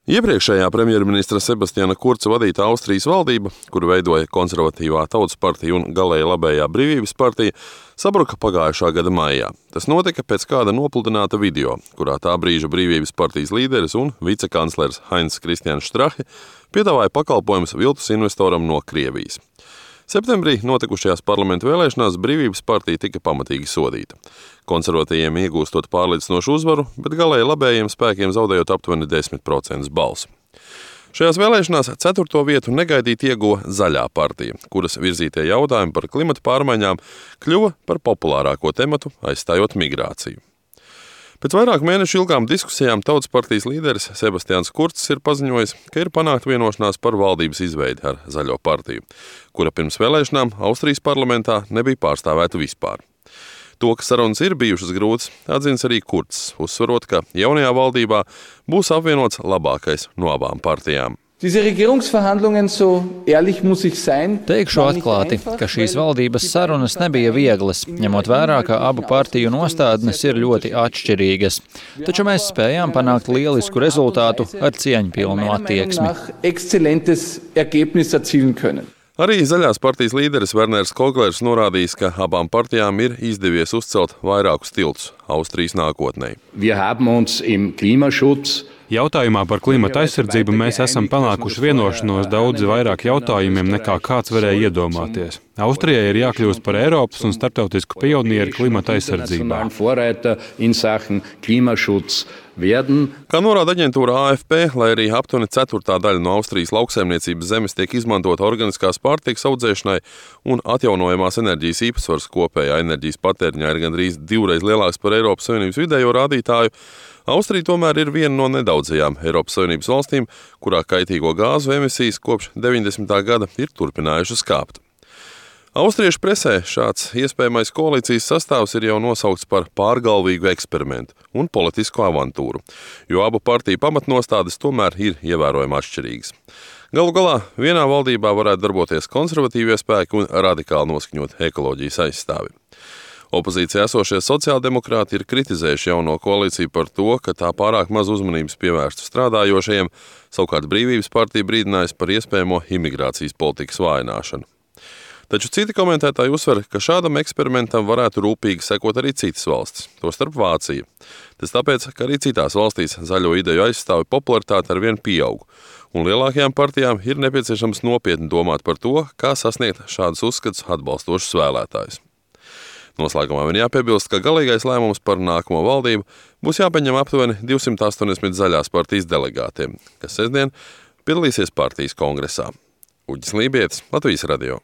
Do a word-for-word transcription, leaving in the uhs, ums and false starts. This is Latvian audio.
Iepriekšējā premjerministra Sebastiana Kurca vadīta Austrijas valdība, kuru veidoja konservatīvā Tautas partija un galēji labējā Brīvības partija, sabruka pagājušā gada maijā. Tas notika pēc kāda nopludināta video, kurā tā brīža Brīvības partijas līderis un vicekanclers Heinz Kristians Strache piedāvāja pakalpojumus viltus investoram no Krievijas. Septembrī notikušajās parlamentu vēlēšanās Brīvības partija tika pamatīgi sodīta. Konservatīviem iegūstot pārliecinošu uzvaru, bet galēji labējiem spēkiem zaudējot aptuveni desmit procentus balsu. Šajās vēlēšanās ceturto vietu negaidīti ieguva Zaļā partija, kuras virzītie jautājumi par klimata pārmaiņām kļuva par populārāko tematu, aizstājot migrāciju. Pēc vairāku mēnešu ilgām diskusijām Tautas partijas līderis Sebastians Kurcs ir paziņojis, ka ir panākta vienošanās par valdības izveidi ar Zaļo partiju, kura pirms vēlēšanām Austrijas parlamentā nebija pārstāvēta vispār. To, ka sarunas ir bijušas grūtas, atzins arī Kurcs, uzsverot, ka jaunajā valdībā būs apvienots labākais no abām partijām. Teikšu atklāti, ka šīs valdības sarunas nebija vieglas, ņemot vērā, ka abu partiju nostādnes ir ļoti atšķirīgas. Taču mēs spējām panākt lielisku rezultātu ar cieņpilnu attieksmi. Arī Zaļās partijas līderis Werners Koglers norādījis, ka abām partijām ir izdevies uzcelt vairākus tiltus Austrijas nākotnē. Jautājumā par klimata aizsardzību mēs esam panākuši vienošanos daudz vairāk jautājumiem, nekā kāds varēja iedomāties. Austrijai ir jākļūst par Eiropas un starptautisku pionieri klimata aizsardzībā. Kā norāda aģentūra A F P, lai arī aptuveni ceturtā daļa no Austrijas lauksaimniecības zemes tiek izmantota organiskās pārtikas audzēšanai un atjaunojamās enerģijas īpatsvars kopējā enerģijas patēriņā ir gandrīz divreiz lielāks par Eiropas Savienības vidējo rādītāju, Austrija tomēr ir viena no nedaudzajām Eiropas Savienības valstīm, kurā kaitīgo gāzu emisijas kopš deviņdesmitā gada ir turpinājušas kāpt. Austriešu presē šāds iespējamais koalīcijas sastāvs ir jau nosaukts par pārgalvīgu eksperimentu un politisku avantūru, jo abu partiju pamatnostādes tomēr ir ievērojami atšķirīgas. Galu galā vienā valdībā varētu darboties konservatīvie spēki un radikāli noskaņot ekoloģijas aizstāvi. Opozīcijā esošie sociāldemokrāti ir kritizējuši jauno koalīciju par to, ka tā pārāk maz uzmanības pievērstu strādājošajiem, savukārt Brīvības partija brīdinājis par iespējamo imigrācijas politikas vājināšanu. Taču citi komentētāji uzsver, ka šādam eksperimentam varētu rūpīgi sekot arī citas valstis, tostarp Vācija. Tas tāpēc, ka arī citās valstīs zaļo ideju aizstāvi popularitāte arvien pieaug, un lielākajām partijām ir nepieciešams nopietni domāt par to, kā sasniegt šādus uzskatus atbalstošus vēlētājus. Noslēgumā vien jāpiebilst, ka galīgais lēmums par nākamo valdību būs jāpieņem aptuveni divsimt astoņdesmit Zaļās partijas delegātiem, kas sestdien piedalīsies partijas kongresā. Uģis Lībietis, Latvijas radio.